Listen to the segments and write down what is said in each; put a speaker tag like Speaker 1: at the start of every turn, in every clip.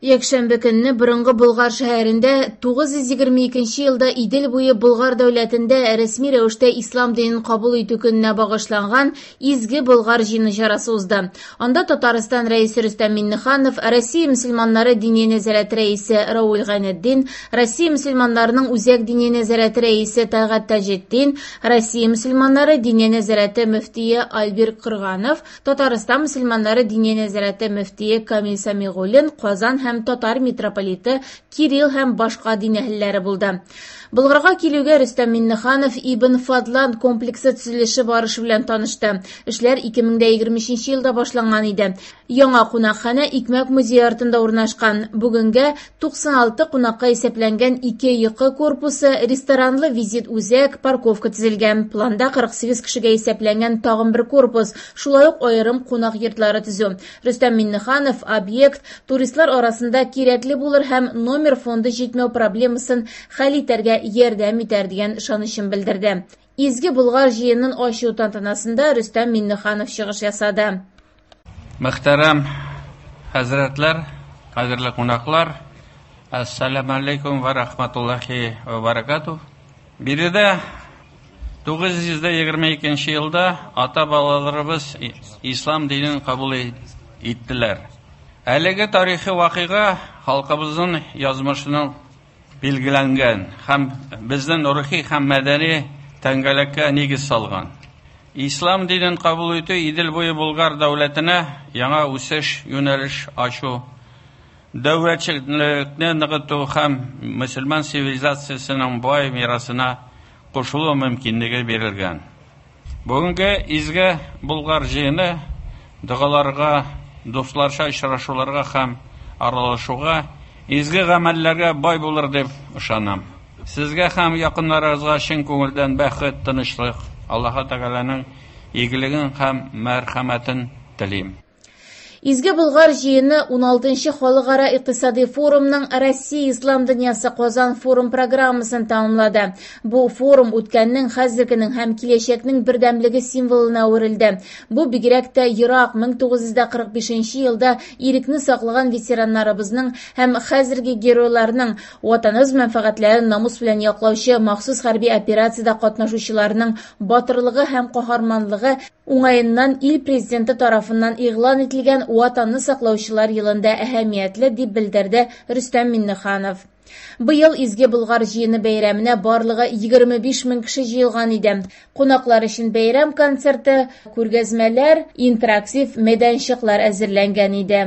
Speaker 1: Якшәмбе көнне борынгы Болгар шәһәрендә 922 нче елда Идел буе Болгар дәүләтендә рәсми рәвештә ислам динен кабул итү көненә багышланган Изге Болгар җыены чарасы узды. Анда Татарстан Рәисе Рөстәм Миңнеханов, Россия мөселманнары Диния нәзарәте рәисе Рауил Гайнетдин, Россия мөселманнарының Үзәк Диния нәзарәте рәисе Тәлгать Таҗетдин, Россия мөселманнары Диния нәзарәте мөфтие Альбир Крганов, Татарстан мөселманнары Диния нәзарәте мөфтие Камил Сәмигуллин, Казан һәм татар митрополиты Кирилл һәм башка дин әһелләре булды. Болгарга килүгә Рөстәм Миңнеханов Ибн Фадлан комплексы төзелеше барышы белән танышты. Эшләр 2023 елда башланган иде. Яңа кунакханә Икмәк музее артында урнашкан. Бүгенгә 96 кунакка исәпләнгән ике йокы корпусы, ресторанлы визит үзәк, парковка төзелгән. Планда 48 кешегә исәпләнгән тагын бер корпус, шулай ук аерым кунак йортлары төзү. Рөстәм Миңнеханов объект туристлар арасында кирәкле булыр һәм номер фонды җитмәү проблемасын хәл итәргә ярдәм итәр дигән ышанычын белдерде. Изге Болгар җыенын ачу тантанасында Рөстәм Миңнеханов чыгыш ясады.
Speaker 2: Мөхтәрәм хәзрәтләр, кадерле кунаклар, әссәламу алейкум ва рахматуллахи ва баракатух. Биредә 922 елда ата-бабаларыбыз ислам динен кабул иттеләр. Әлеге тарихи вакыйга халкыбызның язмышының билгеләнгән һәм безнең рухи һәм мәдәни тәңгәлеккә нигез салган. Ислам динен кабул итү Идел буе Болгар дәүләтенә яңа үсеш юнәлеш ачу, дәүләтчелекне ныгыту һәм мөселман цивилизациясенең бай мирасына кушылу мөмкинлеге бирелгән. Бүгенге изге Болгар җыены догаларга, дусларча очрашуларга һәм аралашуга, изге гамәлләргә бай булыр дип ышанам. Сезгә һәм якыннарыгызга чын күңелдән бәхет, тынычлык, Аллаһы Тәгаләнең игелеген һәм мәрхәмәтен телим.
Speaker 1: Изге Болгар җыены 16 халыкара икътисади форумның Россия ислам дөньясы Казан форум программасын тәмамлады. Бу форум үткәннең, хәзергенең һәм киләчәкнең бердәмлеге символына әверелде. Бу бигрәк тә ерак 1945 елда ирекне саклаган ветераннарыбызның һәм хәзерге геройларның Ватаныбыз мәнфәгатьләрен намус белән яклаучы махсус хәрби операциядә катнашучыларның батырлыгы һәм каһарманлыгы уңаеннан ил Президенты тарафыннан игълан ителгән Ватанны саклаучылар елында әһәмиятле, дип белдерде Рөстәм Миңнеханов. Быел Изге Болгар җыены бәйрәменә барлыгы 25 мең кеше җыелган иде. Кунаклар өчен бәйрәм концерты, күргәзмәләр, интерактив мәйданчыклар әзерләнгән иде.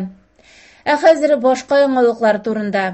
Speaker 1: Ә хәзер башка яңалыклар турында.